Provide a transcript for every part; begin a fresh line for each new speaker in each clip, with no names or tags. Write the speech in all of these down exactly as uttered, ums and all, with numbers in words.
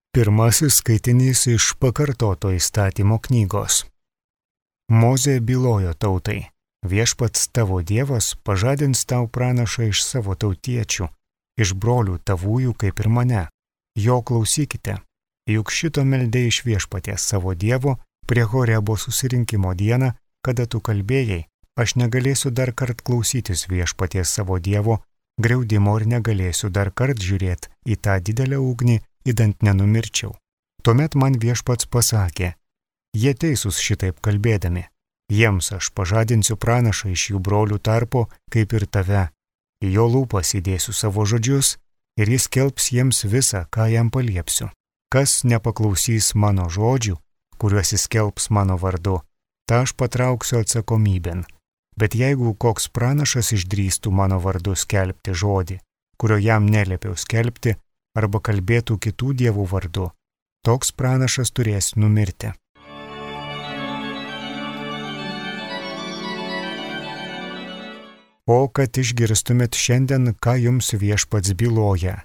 Pirmasis skaitinys iš pakartoto įstatymo knygos. Mozė bylojo tautai: Viešpats tavo Dievas pažadins tau pranašą iš savo tautiečių, iš brolių tavųjų kaip ir mane. Jo klausykite, juk šito meldė iš Viešpaties savo Dievo prie Horebo susirinkimo dieną, kada tu kalbėjai: aš negalėsiu dar kart klausytis Viešpaties savo Dievo griaudimo ir negalėsiu dar kart žiūrėti į tą didelę ugnį, idant nenumirčiau. Tuomet man Viešpats pasakė: jie teisūs šitaip kalbėdami. Jiems aš pažadinsiu pranašą iš jų brolių tarpo, kaip ir tave. Į jo lūpas įdėsiu savo žodžius ir jis skelbs jiems visą, ką jam paliepsiu. Kas nepaklausys mano žodžių, kuriuos jis skelbs mano vardu, tą aš patrauksiu atsakomybėn. Bet jeigu koks pranašas išdrįstų mano vardu skelbti žodį, kurio jam neliepiau skelbti, arba kalbėtų kitų dievų vardu, toks pranašas turės numirti. O kad išgirstumėt šiandien, ką jums Viešpats byloja,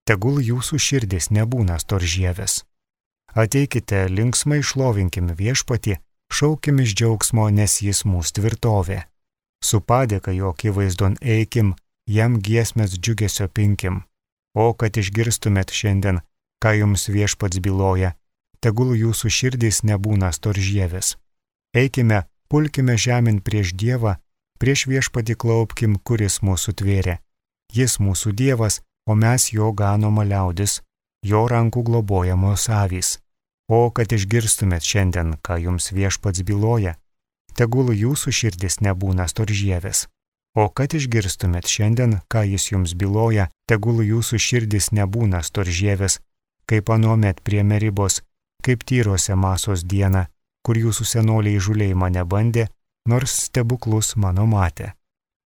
tegul jūsų širdis nebūna storžieves. Ateikite, linksmai šlovinkim Viešpatį, šaukim iš džiaugsmo, nes jis mūsų tvirtovė. Su padėka jo akivaizdon eikim, jam giesmės džiugesio pinkim. O kad išgirstumėt šiandien, ką jums Viešpats byloja, tegul jūsų širdys nebūna storžieves. Eikime, pulkime žemyn prieš Dievą, prieš Viešpatį klaupkim, kuris mūsų tvėrė. Jis mūsų Dievas, o mes jo ganoma liaudis, jo rankų globojamos avys. O kad išgirstumėt šiandien, ką jums Viešpats byloja, tegul jūsų širdis nebūna storžieves. O kad išgirstumėt šiandien, ką jis jums byloja, tegul jūsų širdis nebūna storžieves, kaip anuomet prie Meribos, kaip Tyrose Masos dieną, kur jūsų senoliai įžūliai mane bandė, nors stebuklus mano matė.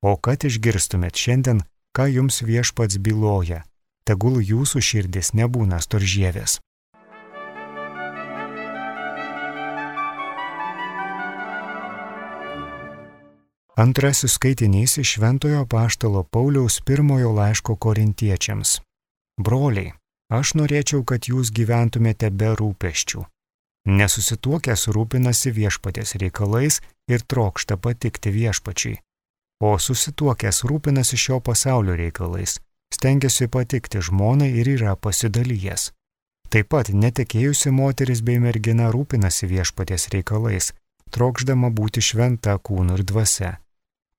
O kad išgirstumėt šiandien, ką jums Viešpats byloja, tegul jūsų širdis nebūna storžieves. Antrasis skaitinys iš Šventojo apaštalo Pauliaus pirmojo laiško korintiečiams. Broliai, aš norėčiau, kad jūs gyventumėte be rūpesčių. Nesusituokęs rūpinasi Viešpaties reikalais ir trokšta patikti Viešpačiui. O susituokęs rūpinasi šio pasaulio reikalais, stengiasi patikti žmonai ir yra pasidalijęs. Taip pat netekėjusi moteris bei mergina rūpinasi Viešpaties reikalais, trokšdama būti šventa kūnu ir dvasia.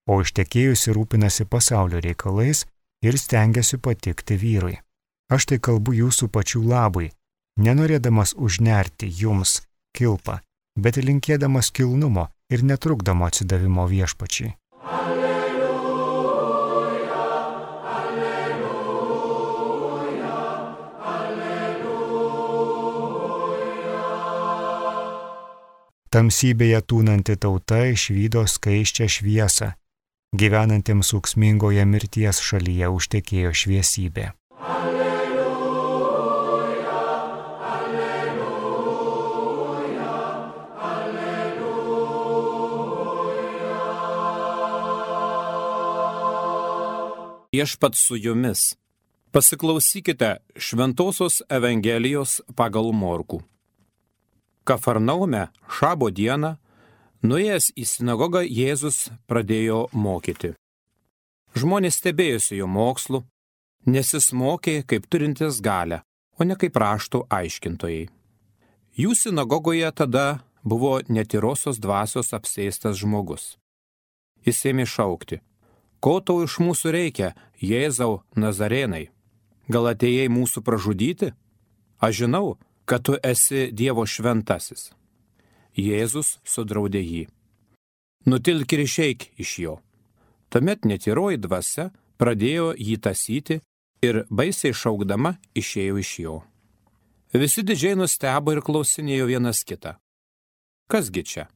O ištekėjusi rūpinasi pasaulio reikalais ir stengiasi patikti vyrui. Aš tai kalbu jūsų pačių labui, nenorėdamas užnerti jums kilpą, bet linkėdamas kilnumo ir netrukdamo atsidavimo Viešpačiui.
Alleluja, alleluja, alleluja.
Tamsybėje tūnanti tauta išvydo skaisčią šviesą, gyvenantiems ūksmingoje mirties šalyje užtekėjo šviesybė.
Viešpats su jumis. Pasiklausykite Šventosios Evangelijos pagal Morkų. Kafarnaume šabo dieną, nuėjęs į sinagogą, Jėzus pradėjo mokyti. Žmonės stebėjosi jo mokslu, nes jis mokė kaip turintis galią, o ne kaip raštų aiškintojai. Jų sinagogoje tada buvo netyrosios dvasios apsėstas žmogus. Jis ėmė šaukti: ko tau iš mūsų reikia, Jėzau Nazarėnai? Gal atėjai mūsų pražudyti? Aš žinau, kad tu esi Dievo šventasis. Jėzus sudraudė jį: nutilk ir išeik iš jo. Tuomet netyroji dvasia pradėjo jį tąsyti ir baisiai šaukdama išėjo iš jo. Visi didžiai nustebo ir klausinėjo vienas kitą: kasgi čia?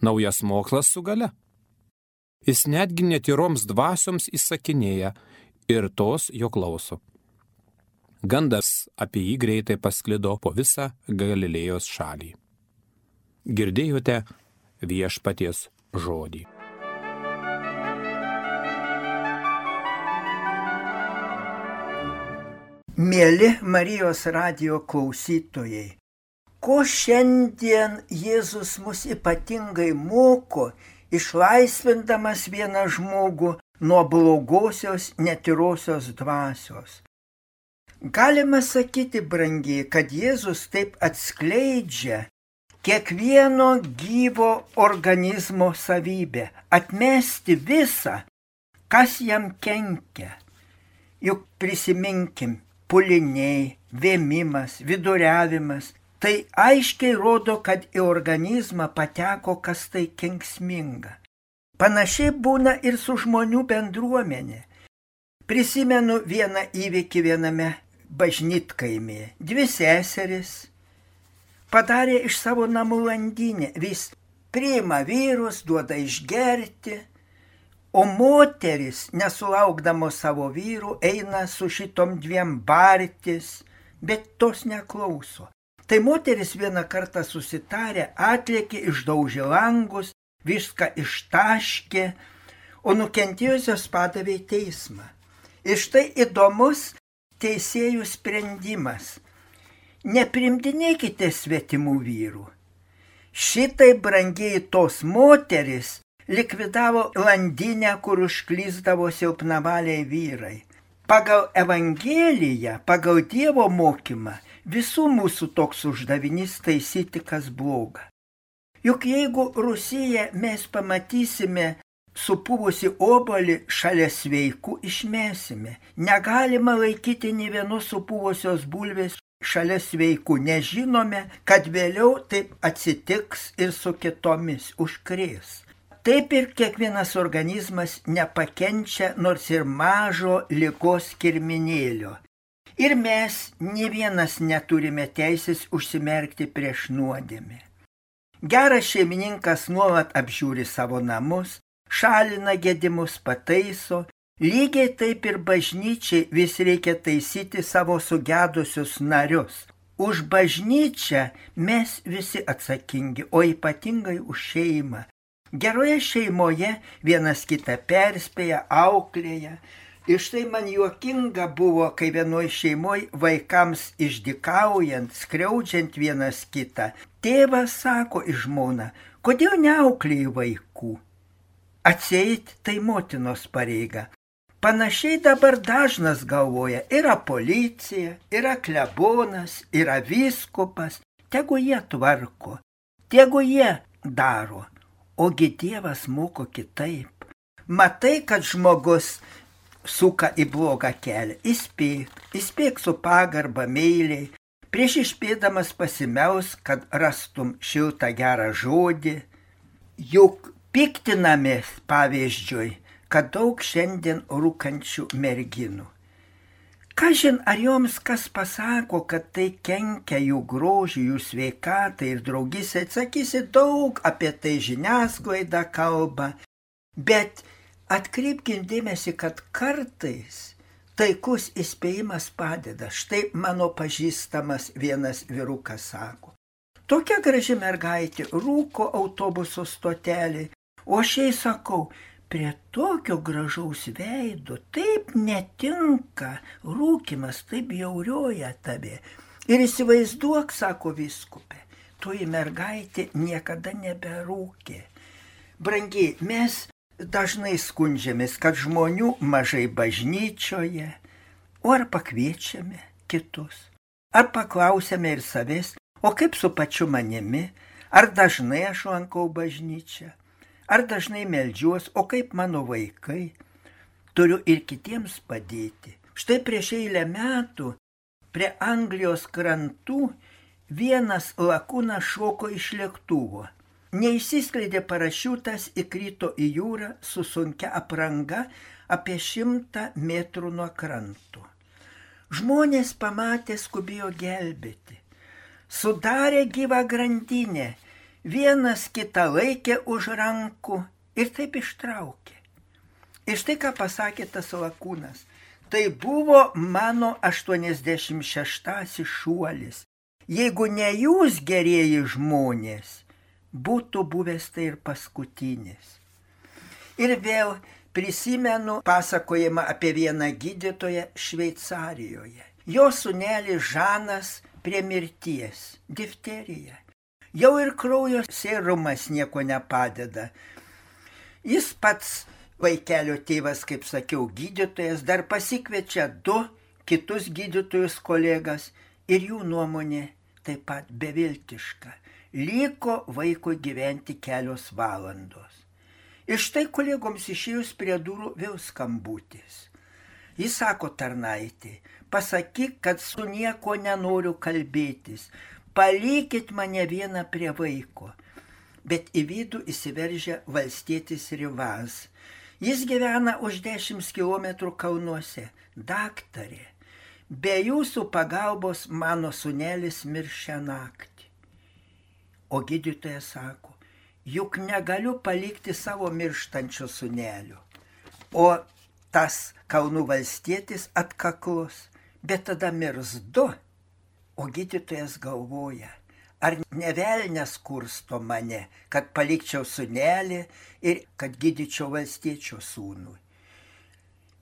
Naujas mokslas su galia? Jis netgi netyroms dvasioms įsakinėja ir tos jo klauso. Gandas apie jį greitai pasklido po visą Galilėjos šalį. Girdėjote Viešpaties žodį.
Mėly Marijos radijo klausytojai, ko šiandien Jėzus mus ypatingai moko, išlaisvindamas vieną žmogų nuo blogosios netyrosios dvasios. Galima sakyti, brangiai, kad Jėzus taip atskleidžia kiekvieno gyvo organizmo savybę, atmesti visą, kas jam kenkia. Juk prisiminkim, puliniai, vėmimas, viduriavimas, tai aiškiai rodo, kad į organizmą pateko kas tai kenksminga. Panašiai būna ir su žmonių bendruomenė. Prisimenu vieną įvykį viename bažnytkaimyje. Dvi seseris padarė iš savo namų landinę, vis priima vyrus, duoda išgerti, o moteris, nesulaukdamos savo vyrų, eina su šitom dviem bartis, bet tos neklauso. Tai moteris vieną kartą susitarė, atlėkė, išdaužė langus, viską ištaškė, o nukentėjusios padavė į teismą. Ir štai įdomus teisėjų sprendimas. Neprimdinėkite svetimų vyrų. Šitai brangiai tos moteris likvidavo landinę, kur užklysdavo silpnavaliai vyrai. Pagal Evangeliją, pagal Dievo mokymą, visų mūsų toks uždavinys taisyti, kas bloga. Juk jeigu Rusiją mes pamatysime supuvusi obuolį šalia sveikų, išmesime. Negalima laikyti nė vienos supuvusios bulvės šalia sveikų. Nežinome, kad vėliau taip atsitiks ir su kitomis, užkrės. Taip ir kiekvienas organizmas nepakenčia nors ir mažo ligos kirminėlio. Ir mes nė vienas neturime teisės užsimerkti prieš nuodėmę. Geras šeimininkas nuolat apžiūri savo namus, šalina gedimus, pataiso. Lygiai taip ir bažnyčiai vis reikia taisyti savo sugedusius narius. Už bažnyčią mes visi atsakingi, o ypatingai už šeimą. Geroje šeimoje vienas kitą perspėja, auklėja. Ir štai man juokinga buvo, kai vienoj šeimoj vaikams išdykaujant, skriaudžiant vienas kitą, tėvas sako į žmoną, kodėl neauklėji vaikų? Atseit tai motinos pareiga. Panašiai dabar dažnas galvoja, yra policija, yra klebonas, yra vyskupas, tegu jie tvarko, tegu jie daro. Ogi Dievas moko kitaip. Matai, kad žmogus suka į blogą kelią, įspėk, įspėk su pagarba, meiliai, prieš išspėdamas pasimelsk, kad rastum šiltą gerą žodį. Juk piktinamės, pavyzdžiui, kad daug šiandien rūkančių merginų. Kažin, ar joms kas pasako, kad tai kenkia jų grožiui, jų sveikatai ir draugysai, atsakysi daug apie tai, žiniasklaida kalba, bet atkreipkim dėmesį, kad kartais taikus įspėjimas padeda. Štai mano pažįstamas vienas vyrukas sako, tokia graži mergaitė rūko autobuso stotelį, o aš jai sakau, prie tokio gražaus veido taip netinka rūkimas, taip bjaurioja tave. Ir įsivaizduok, sako vyskupė, toji mergaitė niekada neberūkė. Brangiai, mes dažnai skundžiamės, kad žmonių mažai bažnyčioje, o ar pakviečiame kitus, ar paklausėme ir savęs, o kaip su pačiu manimi, ar dažnai aš lankau bažnyčią. Ar dažnai meldžiuos, o kaip mano vaikai, turiu ir kitiems padėti. Štai prieš eilę metų prie Anglijos krantų vienas lakūnas šoko iš lėktuvo. Neišsiskleidė parašiutas, įkrito į jūrą su sunkia apranga apie šimtą metrų nuo kranto. Žmonės pamatė, skubėjo gelbėti. Sudarė gyvą grandinę. Vienas kitą laikė už rankų ir taip ištraukė. Ir štai ką pasakė tas lakūnas. Tai buvo mano aštuoniasdešimt šeštasis šuolis. Jeigu ne jūs, gerieji žmonės, būtų buvęs tai ir paskutinis. Ir vėl prisimenu pasakojimą apie vieną gydytoją Šveicarijoje. Jo sūnelis Žanas prie mirties, difterija. Jau ir kraujo serumas nieko nepadeda. Jis pats, vaikelio tėvas, kaip sakiau, gydytojas, dar pasikviečia du kitus gydytojus kolegas ir jų nuomonė taip pat beviltiška. Liko vaikui gyventi kelios valandos. Ir štai kolegoms išėjus prie durų vėl skambutis. Jis sako tarnaitė, pasakyk, kad su nieko nenoriu kalbėtis, palikit mane vieną prie vaiko. Bet į vidų įsiveržia valstietis Rivaz. Jis gyvena už dešimt kilometrų kalnuose. Daktarė, be jūsų pagalbos mano sūnelis mirs šią naktį. O gydytojas sako, juk negaliu palikti savo mirštančio sūnelio. O tas kalnų valstietis atkaklus, bet tada mirs du. O gydytojas galvoja, ar ne velnias kursto mane, kad palikčiau sūnelį ir kad gydyčiau valstiečio sūnui.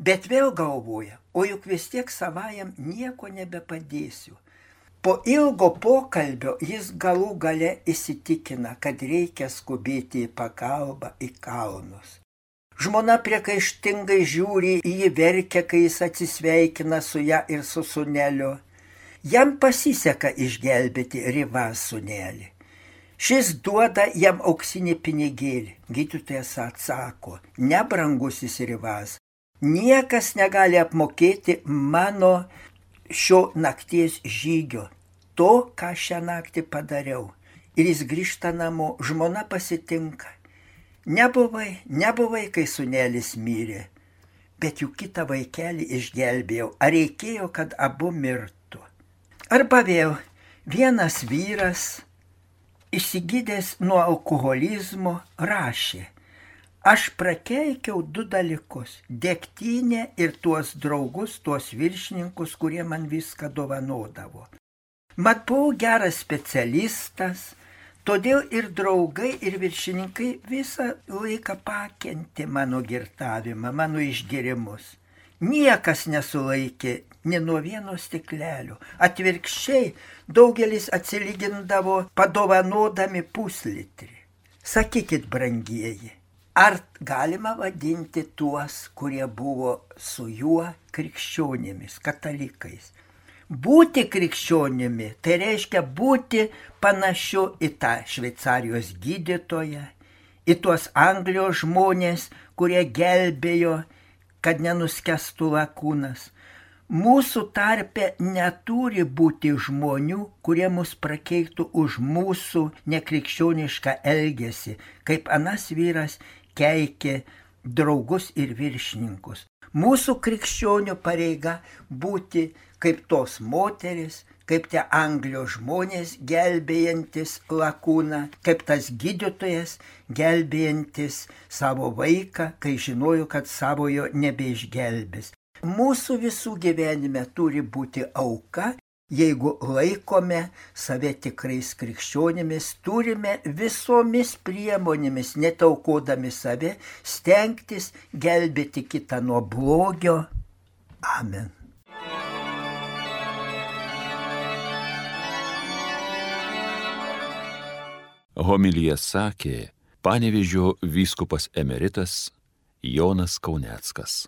Bet vėl galvoja, o juk vis tiek savajam nieko nebepadėsiu. Po ilgo pokalbio jis galų gale įsitikina, kad reikia skubėti į pagalbą į kalnus. Žmona priekaištingai žiūri į jį, verkia, kai jis atsisveikina su ją ir su sūneliu. Jam pasiseka išgelbėti Rivaz sūnelį. Šis duoda jam auksinį pinigėlį. Gydytojas atsako, nebrangusis Rivaz, niekas negali apmokėti mano šio nakties žygio, to, ką šią naktį padariau. Ir jis grįžta namo, žmona pasitinka. Nebuvai, nebuvai, kai sūnelis mirė, bet juk kitą vaikelį išgelbėjau, ar reikėjo, kad abu mirtų. Arba vėl vienas vyras, išsigydęs nuo alkoholizmo, rašė, aš prakeikiau du dalykus – degtinę ir tuos draugus, tuos viršininkus, kurie man viską dovanodavo. Mat buvau geras specialistas, todėl ir draugai, ir viršininkai visą laiką pakentė mano girtavimą, mano išgėrimus. Niekas nesulaikė ni nuo vieno stiklelio. Atvirkščiai daugelis atsilygindavo padovanodami puslitrį. Sakykit, brangieji, ar galima vadinti tuos, kurie buvo su juo krikščionimis, katalikais? Būti krikščionimi, tai reiškia būti panašiu į tą Šveicarijos gydytoją, į tuos Anglijos žmonės, kurie gelbėjo, kad nenuskestų lakūnas. Mūsų tarpe neturi būti žmonių, kurie mus prakeiktų už mūsų nekrikščionišką elgesį, kaip anas vyras keikė draugus ir viršininkus. Mūsų krikščionių pareiga būti kaip tos moteris, kaip tie Anglijos žmonės gelbėjantis lakūną, kaip tas gydytojas gelbėjantis savo vaiką, kai žinojo, kad savojo nebeišgelbės. Mūsų visų gyvenime turi būti auka, jeigu laikome save tikrais krikščionimis, turime visomis priemonėmis, netaukodami save, stengtis gelbėti kitą nuo blogio. Amen.
Homiliją sakė Panevėžio vyskupas emeritas Jonas Kauneckas.